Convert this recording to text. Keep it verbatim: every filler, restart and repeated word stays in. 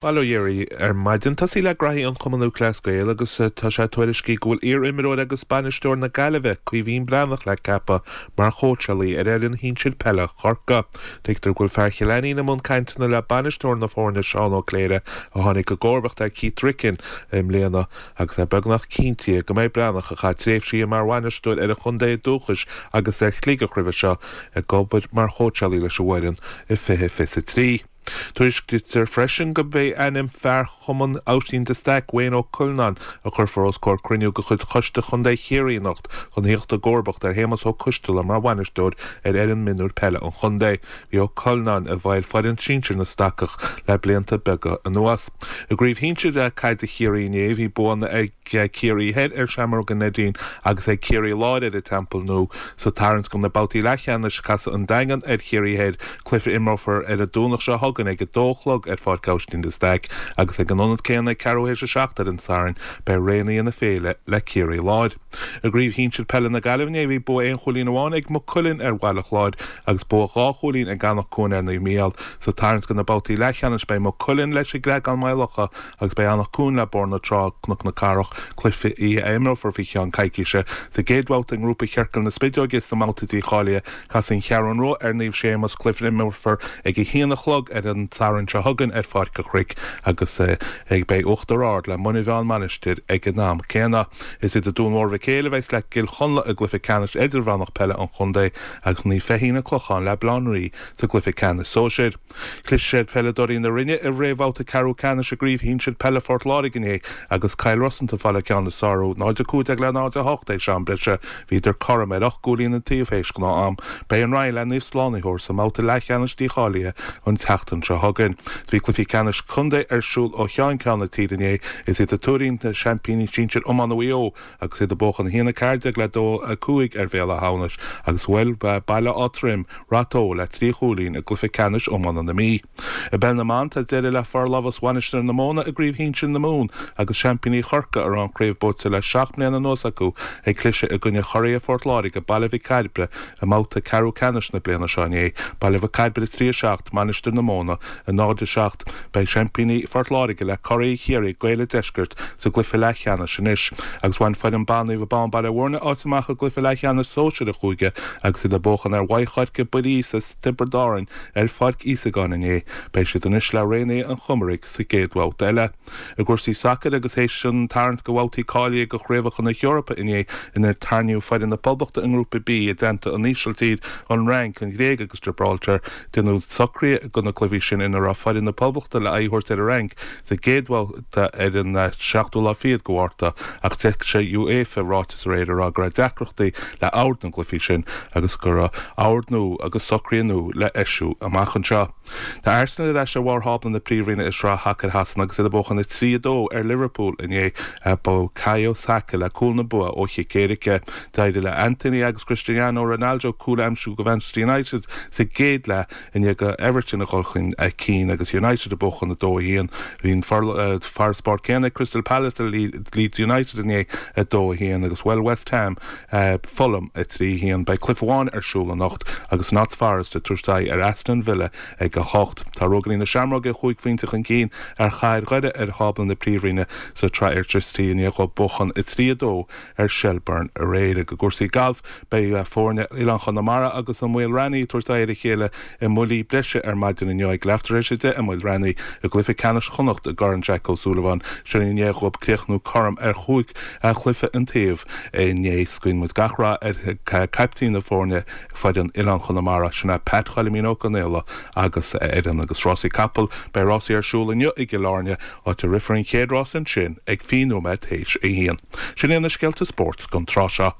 Bail ó Dhia oraibh ar maidin. Tosaí le graithí an Chumann Lúthchleas Gael agus tá sé tuairiscithe go bhfuil iar-imreoir agus bainisteoir na Gaillimhe, Caoimhín Breathnach le ceapadh mar chóitseálaí ar fhoireann shinsir peile Chorcaí. Tuigtear go bhfuil fear Chill Ainnín i mbun cainteanna le bainisteoir na foirne Seán Ó Cléire a tháinig i gcomharbacht ar Keith Ricken i mbliana agus é beagnach cinnte go mbeidh Breathnach a chaith tréimhsí mar bhainisteoir ar a chontae dúchais agus ar Shligeach roimhe seo ag obair mar chóitseálaí leis an bhfoireann i fiche fiche a trí. Tuairiscítear freisin go mbeidh ainm fear Chumann Oisín de Staic Wayne Ó Cuilneáin a chuirfear os comhair cruinniú de chuid Choiste Chontae Chiarraí anocht chun theacht i gcomharbacht ar Shéamus Ó Coisteala mar bhainisteoir ar fhoireann mionúir peile an chontae. Bhí Ó Cuilneáin i bhfeighil foireann sinsir na Stacach le blianta beaga anuas. I gcraobh shinsir caide Chiarraí inné bhí buanna ag Ciarraí Thoir ar Seamróga Neidín agus ag Ciarraí Láir ar an Teampall Nua sa tarraingt do na babhtaí leathcheannais casfaidh an Daingean ar Chiarraí Thoir cluiche a imreofar ar an Domhnach seo chugainn ag a dó a chlog ar Pháirc Aibhistín de Staic agus ag an ionad céanna ag ceathrú théis a seacht ar an Satharn beidh Raonaithe na Féile le Ciarraí Láir. I gcraobh shinsir peile na Gaillimhe inné bhí bua aon chúilín amháin ag Maigh Cuilinn ar Bhaile Chláir agus bua dhá chúilín ag Anach Cuain ar Naomh Mícheál. Sa tarraingt do na babhtaí leathcheannais beidh Maigh Cuilinn leis an gCreagán Maigh Locha agus beidh Anach Cuain le Bóthar na Trá Cnoc na Cathrach cluiche a imreofar faoi cheann coicíse. Sa gcéad bhabhta i ngrúpa Chiorcal na Spideoige sa mbabhta dícháilithe casfaidh an Cheathrú Rua ar Naomh Séamus cluiche a imreofar ag a haon a chlog ar an Satharn seo chugainn ar Pháirc an Chnoic agus ag beidh Uachtar Ard le Muine Mheá Mainistir ag an am céanna. Is iad Dún Mór Mhic Éil a bheas le Cill Chonla i gcluiche ceannais idirmheánach peile an chontae agus Naomh Feichín an Clochán le Baile Átha an Rí sa gcluiche ceannais sóisir. Chlis ar pheileadóirí na Rinne i réamhbhabhta ceathrú ceannais i gcraobh shinsir peile Phort Láirge inné agus Cill Rosanta ag fáil an ceann is fearr orthu náid a cúig déag le náid a hocht théis am breise. Bhíodar cothrom ar ocht gcúilín an taobh théis gnáth-am. Beidh an Rinn le Naomh Slánaitheoir sa mbabhta leathcheannais dícháilithe an tseachtain seo chugainn. Bhí cluichí ceannais contae ar siúl ó cheann ceann na tíre inné is iad an Tuairín na seaimpíní sinsir iomána Mhaigh Eo agus iad ag buachan a haon a ceathair déag le dó a cúig ar Bhéal Átha hAmhnais agus bhuail Baile Átha Troim Rath Tó le trí chúilín i gcluiche ceannais iomána na Mí. I bpeil na mban tá deireadh le forlámhas Mhainistir na Móna i gcraobh shinsir na Mumhan agus seaimpíní Chorcaí a raibh an chraobh buaite le seacht mbliana anuas acu ag cliseadh i gcoinne churaidh Phort Láirge Baile Mhic Cairbre i mbabhta ceathrú ceannais na bliana seo inné Baile Mhic Cairbre trí a seacht Mainistir na Móna a náid a seacht beidh seaimpíní Phort Láirge le curaidh Chiarraí Gaeil an Deiscirt sa gcluiche leathcheannais anois agus bhain foireann ban Naomh Abán Baile Bhúirne áit amach i gcluiche leathcheannais sóisir an chúige agus iad ag buachan ar Mhaigh Choirce Buiríos as Tiobraid Árann ar Pháirc Íosagáin inné beidh siad anois le Raonaithe an Chomaraigh sa gcéad bhabhta eile. I gcúrsaí sacair agus théis an tarraingt do bhabhtaí cáilithe do chraobhacha na hEorpa inné inar tarraingíodh foireann na Poblachta i ngrúpa B i dteannta an Ísiltír, an Fhrainc, an Ghréig agus Gibraltar déanadh socruithe do na cluichí sin ina raibh foireann na Poblachta le aghaidh a thabhairt ar an Fhrainc sa gcéad bhabhta ar an seachtú lá fichead de Mhárta ach d'eisigh UEFA ráiteas aréir ag rá go raibh deacrachtaí le ord na gcluichí sin agus go raibh ord nua agus socruithe nua le heisiú amach anseo. Tá Arsenal ar ais ar bharr thábla na príomhroinne i sraith shacair Shasana agus iad ag buachan a trí a dó ar Liverpool inné Bukayo Saka le cúl na bua ó chic éirice. D'éirigh le Anthony agus Cristiano Ronaldo cúl a aimsiú do Manchester United sa gcéad leath i ndiaidh do Everton a dhul chun cinn agus United ag buachan a dó a haon. Bhí an farasbarr céanna Crystal Palace ar Leeds United inné a dó a haon agus bhuail West Ham Fulham a trí haon beidh cluiche amháin ar siúl anocht agus Notts Forest ag tabhairt aghaidh ar Aston Villa ag a hocht. Tá Rógairí na Seamróige cúig phointe chun cinn ar Chathair Dhoire ar thábla na príomhroinne sa tsraith Airtricity i ndiaidh dóibh buachan a trí a dó ar Shelbourne aréir. I gcúrsaí gailf beidh foirne Oileán Chonamara agus an Maol Raithní ag tabhairt aghaidh ar a chéile i mbuillí breise ar maidin inniu ag leath tar éis a deich i Maol Raithní i gcluiche ceannais Chonnacht i gCorn Jack O'Sullivan sin i ndiaidh dóibh críochnú cothrom ar chúig chluiche an taobh inné guíonn muid gach rath ar caiptín na foirne foireann Oileán Chonamara sin é Pat Choilimín Ó Conaola agus a fhoireann agus rásaí capall beidh rásaí ar siúl inniu i gCill Airne áit a rithfear an chéad rás ansin ag fiche nóiméad théis a haon. Sin é na scéalta spóirt don tráth seo.